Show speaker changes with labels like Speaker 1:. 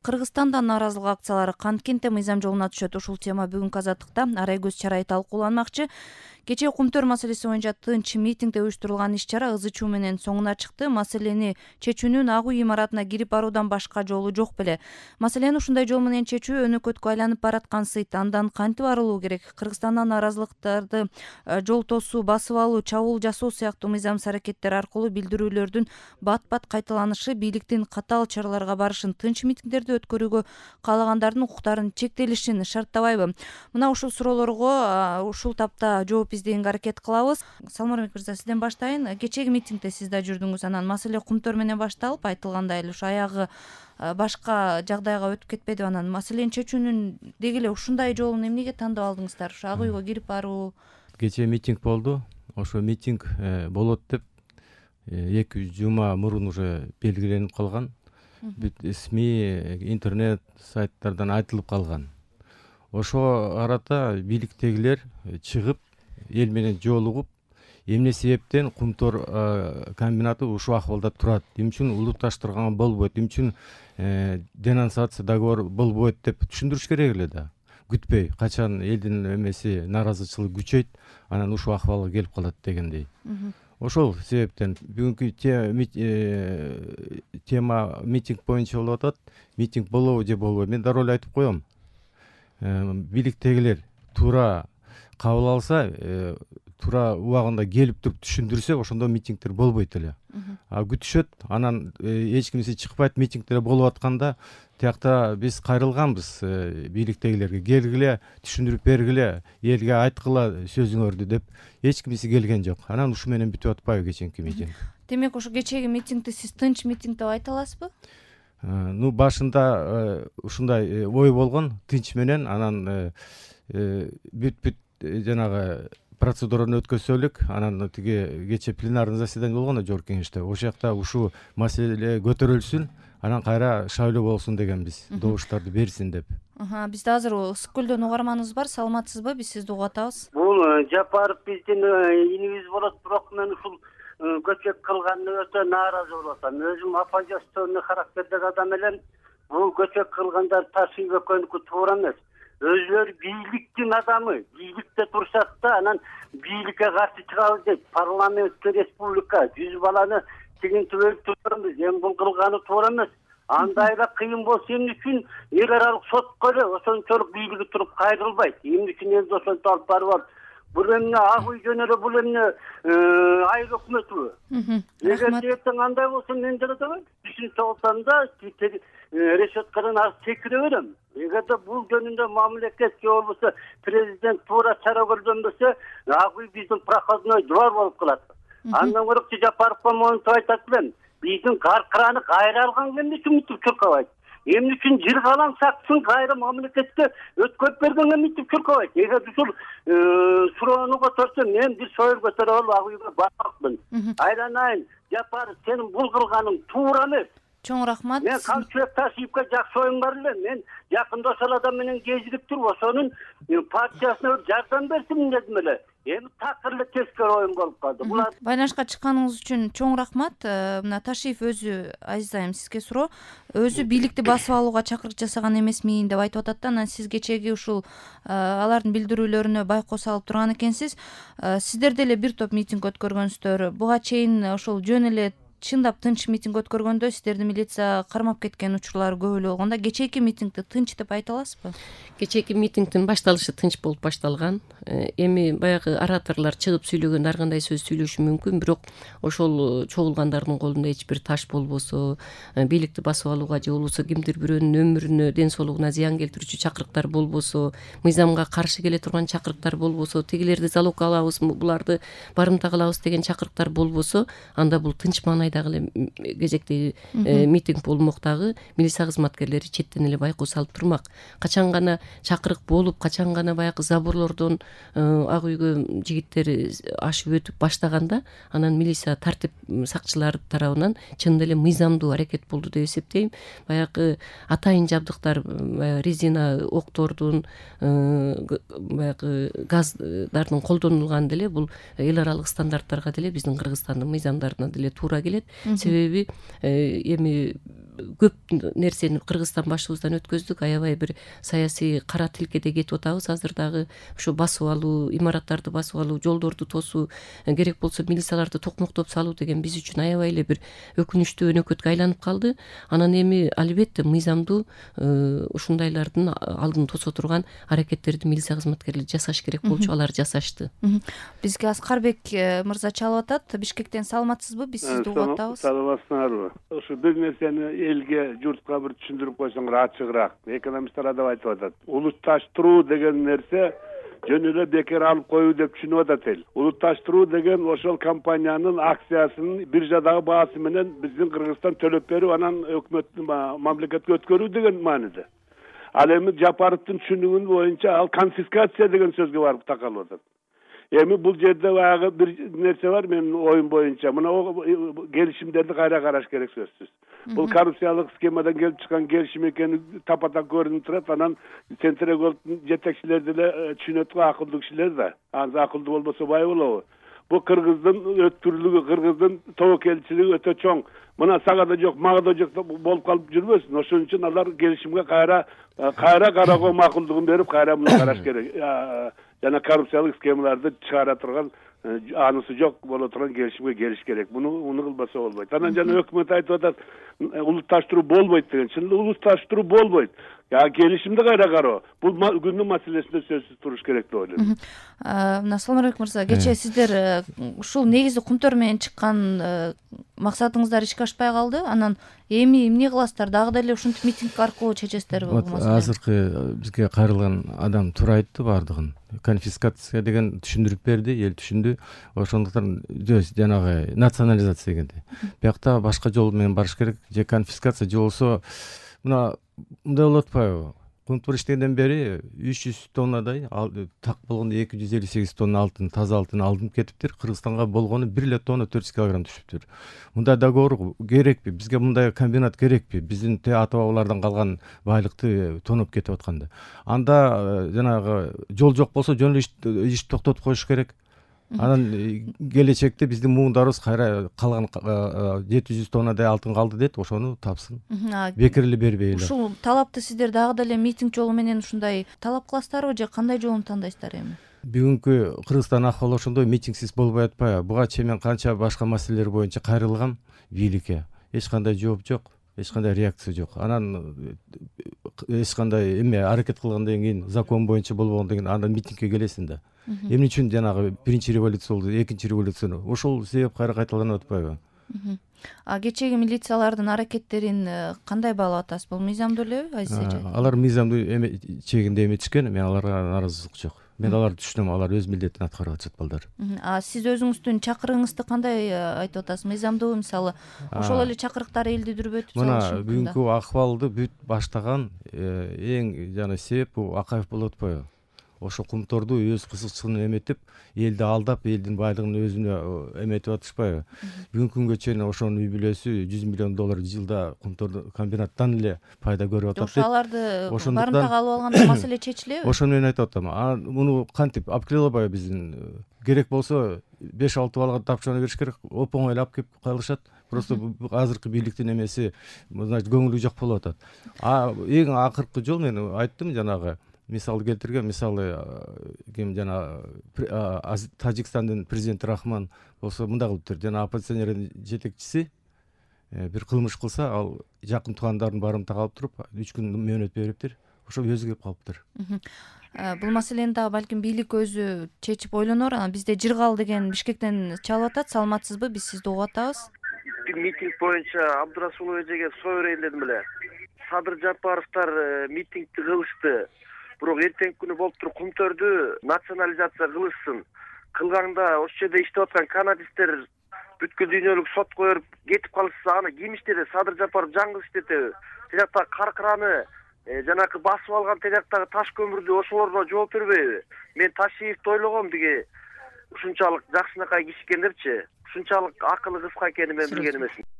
Speaker 1: Кыргызстанда нааразылык акциялары канткенте мыйзам жолуна түшөт. Ушул тема бүгүнкү Азаттыкта арай көз чарай талкууланмакчы. Кечээ Кумтөр маселеси боюнча тынч митингде уюштурулган иш-чара ызы-чуу менен соңуна чыкты. Маселени чечүүнүн ак үй имаратына кирип баруудан башка жолу жок беле? Маселени ушундай жол менен чечүү өнөкөткө айланып бараткан сыйт. Андан кантип арылуу керек? Кыргызстандан нааразылыктарды жол тосуу, басып алуу, чабуул жасоо сыяктуу мыйзамсыз аракеттер аркылуу билдирүүлөрдүн бат-бат кайталанышы бийликтин катаал чараларга барышын, тынч митингдерди өткөрүүгө каалагандардын укуктарынын чектелишин шарттабайбы? Мына ушул суроолорго ушул тапта жооп издегенге аракет кылабыз. Салмурбек мырза, сизден баштайын. Кечээги митингде сиз да жүрдүңүз. Анан маселе Кумтөр менен башталып, айтылгандай эле ушу аягы башка жагдайга өтүп кетпедиби? Анан маселени чечүүнүн деги эле ушундай жолун эмнеге тандап алдыңыздар? Ушу ак үйгө кирип баруу.
Speaker 2: Кечээ митинг болду. Ошо митинг болот деп 2 жума мурун уже белгиленип калган. Бүт СМИ, интернет сайттардан айтылып калган. Ошо арата бийликтегилер чыгып, эл менен жолугуп, эмне себептен Кумтөр комбинаты ушул акыбалда турат, эмне үчүн улутташтырган болбойт, эмне үчүн денонсация договор болбойт деп түшүндүрүш керек эле да. Күтпөй, качан элдин эмеси наразычылык күчөйт, анан ушул акыбалга келип калат дегендей. Ошол себептен бүгүнкү тема митинг боюнча болуп атат. Митинг болобу же болбойбу? Мен дароо эле айтып коем. Бийликтегилер туура кабыл алса, туура убагында келип туруп түшүндүрсө, ошондо митингдер болбойт эле. Күтүшөт, анан эч кимиси чыкпайт, митингдер болуп атканда тиякта биз кайрылганбыз бийликтегилерге. Келгиле, түшүндүрүп бергиле, элге айткыла сөзүңөрдү деп эч кимиси келген жок. Анан ушу менен бүтүп атпайбы кечээки митинг?
Speaker 1: Демек, ошо кечээги митингди сиз тынч митинг деп айта аласызбы?
Speaker 2: Башында ушундай ой болгон, тынч менен, анан бүт жанагы процедураны өткөзсөлүк, анан тиги кечээ пленарный заседание болгон жогорку кеңеште. Ошол жакта ушул маселе көтөрүлсүн, анан кайра шайлоо болсун дегенбиз, добуштарды берсин деп.
Speaker 1: Бизде азыр ысык көлдөн угарманыбыз бар. Саламатсызбы? Биз сизди угуп атабыз.
Speaker 3: Бул Жапаров биздин инибиз болот, бирок мен ушул көчөк кылганына өтө нааразы болуп атам. Өзүм оппозиционный характердеги адам элем. Бул көчөк кылгандар Ташиев экөөнүкү туура эмес. Өзүлөрү бийликтин адамы, бийликте турсак да, анан бийликке каршы чыгабыз дейт. Парламенттик республика 100 баланы тигин түбөлүп турганбыз. Эми бул кылганы туура эмес. Андай эле кыйын болсо эмне үчүн эл аралык сотко эле ошончолук бийлиги туруп кайрылбайт? Эмне үчүн элди ошентип алып барып алып? Бул эмне ак үй жөн эле, бул эмне айыл өкмөтүбү? Эгер эртең андай болсо мен деле түшүнчө болсом да решеткадан аз секире берем. Эгерде бул жөнүндө мамлекет же болбосо президент туура чара көргөнбөсө, ак үй биздин проходной двор болуп калат. Андан көрөк Жапаровго монтип айтат элем. Биздин каркыраны кайра алганга эмне үчүн митип чуркабайт? Эмне үчүн жыргалаң саксын кайра мамлекетке өткөрүп бергенге митип чуркабайт? Эгер ушул суроону көтөрсө, мен бир сойыл көтөрүп алып ак үйгө бармакмын. Айланайын, Жапаров, сенин бул кылганың туура эмес.
Speaker 1: Чоң рахмат.
Speaker 3: Мен Камчыбек Ташиевке жакшы оюм бар эле. Мен жакында ошол адам менен кезигип туруп, ошонун партиясына жардам берсин дедим эле. Эми такыр эле тескери оюм болуп калды.
Speaker 1: Байланышка чыкканыңыз үчүн чоң рахмат. Мына Ташиев өзү, Азиз айым, сизге суроо. Өзү бийликти басып алууга чакырык жасаган эмесмин деп айтып атат да. Анан сиз кечээги ушул алардын билдирүүлөрүнө байкоо салып турган экенсиз. Сиздер деле бир топ митинг өткөргөнсүздөр. Буга чейин ошол жөн эле чындап тынч митинг өткөргөндө сиздерди милиция кармап кеткен учурлар көп эле болгондо, кечээки митингди тынч деп айта аласызбы?
Speaker 4: Кечээки митингдин башталышы тынч болуп башталган. Эми баягы ораторлор чыгып сүйлөгөндө ар кандай сөз сүйлөшү мүмкүн, бирок ошол чогулгандардын колунда эч бир таш болбосо, бийликти басып алууга же болбосо кимдир бирөөнүн өмүрүнө, ден соолугуна зыян келтирүүчү чакырыктар болбосо, мыйзамга каршы келе турган чакырыктар болбосо, тигилерди залогко алабыз, буларды барымта кылабыз деген чакырыктар болбосо, анда бул тынч маанайдагы эле кезектеги митинг болмок дагы милиция кызматкерлери четтен эле байкоо салып турмак. Качан гана чакырык болуп, качан гана баягы заборлордон ак үйгө жигиттер ашып өтүп баштаганда, анан милиция тартип сакчылары тарабынан чын эле мыйзамдуу аракет болду деп эсептейм. Баягы атайын жабдыктар, резина октордун, баягы газдардын колдонулганы деле бул эл аралык стандарттарга деле биздин Кыргызстандын мыйзамдарына деле туура келет. Себеби эми көп нерсени Кыргызстан башыбыздан өткөздүк, аябай бир саясий кара тилкеде кетип атабыз азыр дагы. Ошо басып алуу, имараттарды басып алуу, жолдорду тосуу, керек болсо милицияларды токмоктоп салуу деген биз үчүн аябай эле бир өкүнүчтүү өнөкөткө айланып калды. Анан эми албетте мыйзамдуу ушундайлардын алдын тосо турган аракеттерди милиция кызматкерлери жасаш керек болчу, алар жасашты.
Speaker 1: Бизге Аскарбек мырза чалып атат. Бишкектен саламатсызбы? Биз сизди угуп атабыз.
Speaker 5: Саламатсыңарбы? Ошо бир нерсени элге, журтка бир түшүндүрүп койсоңор ачыгыраак. Экономисттер да айтып атат. Улутташтыруу деген нерсе жөн эле бекер алып коюу деп түшүнүп атат эл. Улутташтыруу деген ошол компаниянын акциясынын биржадагы баасы менен биздин Кыргызстан төлөп берип, анан өкмөттүн мамлекетке өткөрүү деген мааниде. Ал эми Жапаровдун түшүнүгү боюнча ал конфискация деген сөзгө барып такалып атат. Эми бул жерде баягы бир нерсе бар менин оюм боюнча. Мына келишимдерди кайра караш керек сөзсүз. Бул коррупциялык схемадан келип чыккан келишим экени тапа-так көрүнүп турат. Анан Центрегордун жетекчилери деле түшүнөт го, акылдуу кишилер да. Анан акылдуу болбосо бай болобу? Бул Кыргыздын өткүрлүгү, Кыргыздын тобокелчилиги өтө чоң. Мына сага да жок, мага да жок болуп калып жүрбөсүн. Ошон үчүн алар келишимге кайра кароого макулдугун берип, кайра муну караш керек. Жана коррупциялык схемаларды чыгара турган, анысы жок боло турган келишимге келиш керек. Муну кылбаса болбойт. Анан жана өкмөт айтып атат, улутташтыруу болбойт деген. Чынында улутташтыруу болбойт. Келишимди кайра кароо. Бул күндүн маселесинде сөзсүз туруш керек деп ойлойм.
Speaker 1: Саламатбек мырза, кечээ сиздер ушул негизи кумтөр менен чыккан максатыңыздар ишке ашпай калды. Анан эми эмне кыласыздар? Дагы деле ушинтип митинг аркылуу чечесиздерби бул маселени?
Speaker 2: Азыркы бизге кайрылган адам туура айтты баардыгын. Конфискация деген түшүндүрүп берди, эл түшүндү. Ошондуктан жанагы национализация дегенди. Биякта башка жол менен барыш керек. Же конфискация же болсо мына мындай болуп атпайбы? Кумтур иштегенден бери 300 тоннадай так болгондо 258 тонна алтын, таза алтын алынып кетиптир. Кыргызстанга болгону 1 тонна 400 килограмм түшүптүр. Мындай договор керекпи? Бизге мындай комбинат керекпи? Биздин ата-бабалардан калган байлыкты тоноп кетип атканда. Анда жанагы жол жок болсо жөн эле иш токтотуп коюш керек. Анан келечекте биздин муундарыбыз кайра калган 700 тоннадай алтын калды дейт, ошону тапсын. Бекер эле бербей эле.
Speaker 1: Ушул талапты сиздер дагы деле митинг жолу менен ушундай талап кыласыздарбы же кандай жолун тандайсыздар эми?
Speaker 2: Бүгүнкү Кыргызстан акыбалы ошондой митингсиз болбой атпайбы? Буга чейин мен канча башка маселелер боюнча кайрылгам бийликке. Эч кандай жооп жок, эч кандай реакция жок. Анан эч кандай аракет кылгандан кийин, закон боюнча болбогондон кийин андан митингке келесиң да. Эмне үчүн жанагы биринчи революция болду, экинчи революция? Ошол себеп кайра кайталанып атпайбы?
Speaker 1: Кечеги милициялардын аракеттерин кандай баалап атасыз? Бул мыйзамдуу элеби, Азиз эже?
Speaker 2: Алар мыйзамдуу чегинде эметишкен, мен аларга нааразычылык жок. Мен аларды түшүнөм, алар өз милдетин аткарып атышат балдар.
Speaker 1: Сиз өзүңүздүн чакырыгыңызды кандай айтып атасыз? Мыйзамдуу, мисалы, ошол эле чакырыктар элди дүрбөтүп салышы
Speaker 2: Мына
Speaker 1: мүмкүн да.
Speaker 2: бүгүнкү акыбалды бүт баштаган эң жана себеп бул Акаев болуп атпайбы? Ошо кумторду өз кызыкчылыгын эметип, элди алдап, элдин байлыгын өзүнө эметип атышпайбы? Бүгүнкү күнгө чейин ошонун үй бүлөсү $100 миллион жылда кумтор комбинаттан эле пайда көрүп атат.
Speaker 1: Ошо аларды барымтага алып алганда маселе чечилеби?
Speaker 2: Ошону мен айтып атам. Муну кантип алып келе албайбы биздин? Керек болсо 5-6 балага тапчырма бериш керек. Оп-оңой эле алып келип калышат. Просто азыркы бийликтин эмеси, значит, көңүлү жок болуп атат. Эң акыркы жол мен айттым жанагы. Мисал келтирген, мисалы ким жана Тажикстандын президенти Рахман болсо мындай кылыптыр. Жана оппозиционердин жетекчиси бир кылмыш кылса, ал жакын туугандарын барымтага алып туруп 3 күн мөөнөт бериптир. Ошо өзү келип калыптыр.
Speaker 1: Бул маселени дагы балким бийлик өзү чечип ойлонор. Бизде Жыргал деген Бишкектен чалып атат. Саламатсызбы? Биз сизди угуп атабыз.
Speaker 6: Митинг боюнча Абдурасулов эжеге соо берейин дедим эле. Садыр Жапаровдор митингди кылышты. Бирок эртеңки күнү болуп туруп кумтөрдү национализация кылышсын. Кылганда ошол жерде иштеп аткан канадисттер бүткүл дүйнөлүк сотко берип кетип калышса, аны ким иштеди? Садыр Жапаров жаңгыз иштетеби? Тияктагы каркыраны, жанагы басып алган тияктагы таш көмүрдү ошолорго жооп бербейби? Мен Ташиевди ойлогом, биги ушунчалык жакшынакай киши экен депчи. Ушунчалык акылы кыска экенин мен билген эмесмин.